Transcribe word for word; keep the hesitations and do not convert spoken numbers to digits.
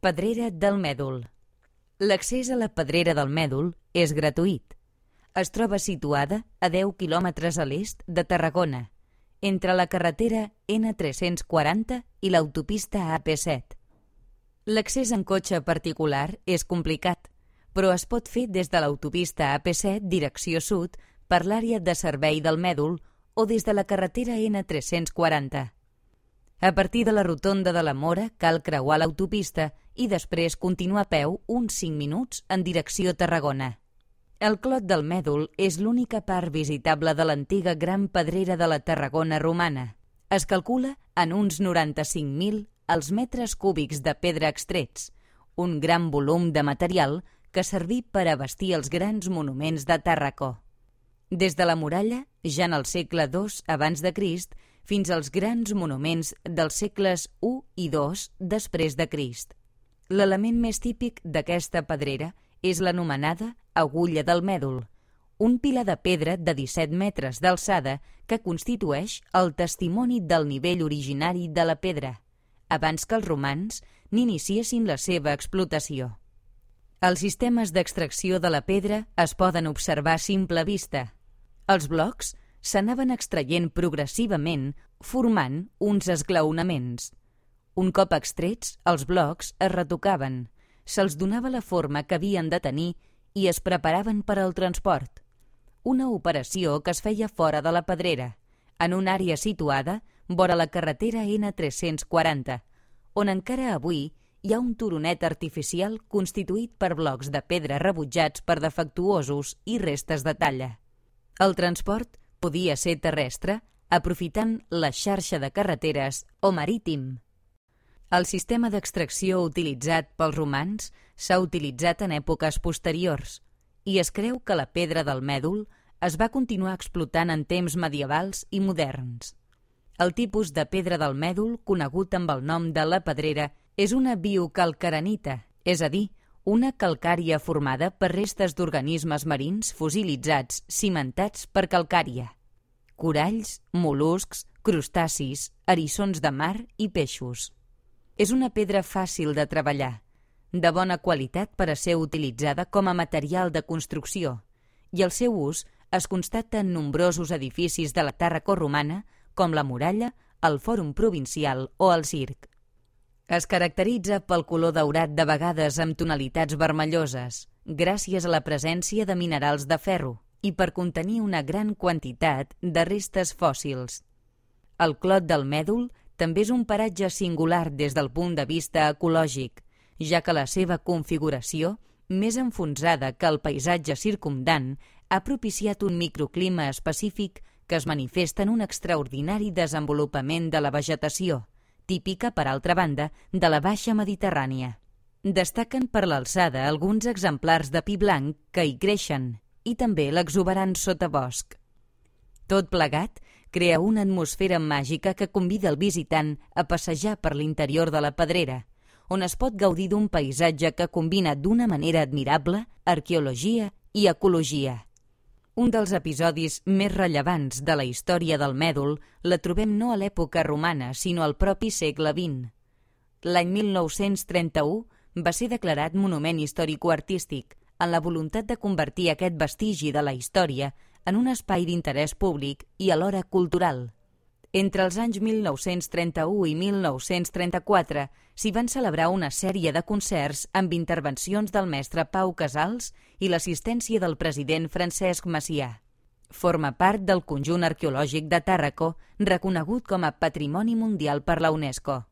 Pedrera del Mèdol. L'accés a la Pedrera del Mèdol és gratuït. Es troba situada a deu quilòmetres a l'est de Tarragona, entre la carretera ena tres-cents quaranta i l'autopista a pe set. L'accés en cotxe particular és complicat, però es pot fer des de l'autopista a pe set direcció sud per l'àrea de servei del Mèdol o des de la carretera ena tres-cents quaranta. A partir de la rotonda de la Mora cal creuar l'autopista i després continuar a peu uns cinc minuts en direcció Tarragona. El Clot del Mèdol és l'única part visitable de l'antiga Gran Pedrera de la Tarragona romana. Es calcula en uns noranta-cinc mil els metres cúbics de pedra extrets, un gran volum de material que serví per a bastir els grans monuments de Tàrraco. Des de la muralla, ja en el segle dos abans de Crist, fins als grans monuments dels segles u i dos després de Crist. L'element més típic d'aquesta pedrera és l'anomenada Agulla del Mèdol, un pilar de pedra de disset metres d'alçada que constitueix el testimoni del nivell originari de la pedra, abans que els romans n'iniciessin la seva explotació. Els sistemes d'extracció de la pedra es poden observar a simple vista. Els blocs s'anaven extraient progressivament formant uns esglaonaments. Un cop extrets, els blocs es retocaven, se'ls donava la forma que havien de tenir i es preparaven per al transport. Una operació que es feia fora de la pedrera, en una àrea situada vora la carretera ena tres-cents quaranta, on encara avui hi ha un turonet artificial constituït per blocs de pedra rebutjats per defectuosos i restes de talla. El transport podia ser terrestre, aprofitant la xarxa de carreteres, o marítim. El sistema d'extracció utilitzat pels romans s'ha utilitzat en èpoques posteriors i es creu que la pedra del Mèdol es va continuar explotant en temps medievals i moderns. El tipus de pedra del Mèdol, conegut amb el nom de la pedrera, és una biocalcarenita, és a dir, una calcària formada per restes d'organismes marins fossilitzats cimentats per calcària. Coralls, mol·luscs, crustacis, eriçons de mar i peixos. És una pedra fàcil de treballar, de bona qualitat per a ser utilitzada com a material de construcció, i el seu ús es constata en nombrosos edificis de la Tàrraco romana, com la muralla, el Fòrum Provincial o el circ. Es caracteritza pel color daurat de vegades amb tonalitats vermelloses, gràcies a la presència de minerals de ferro i per contenir una gran quantitat de restes fòssils. El Clot del Mèdol també és un paratge singular des del punt de vista ecològic, ja que la seva configuració, més enfonsada que el paisatge circumdant, ha propiciat un microclima específic que es manifesta en un extraordinari desenvolupament de la vegetació, típica, per altra banda, de la Baixa Mediterrània. Destaquen per l'alçada alguns exemplars de pi blanc que hi creixen i també l'exuberant sotabosc. Tot plegat crea una atmosfera màgica que convida el visitant a passejar per l'interior de la pedrera, on es pot gaudir d'un paisatge que combina d'una manera admirable arqueologia i ecologia. Un dels episodis més rellevants de la història del Mèdol la trobem no a l'època romana, sinó al propi segle vint. L'any mil nou-cents trenta-u va ser declarat Monument Històrico-Artístic, en la voluntat de convertir aquest vestigi de la història en un espai d'interès públic i alhora cultural. Entre els anys mil nou-cents trenta-u i mil nou-cents trenta-quatre s'hi van celebrar una sèrie de concerts amb intervencions del mestre Pau Casals i l'assistència del president Francesc Macià. Forma part del conjunt arqueològic de Tàrraco, reconegut com a Patrimoni Mundial per la UNESCO.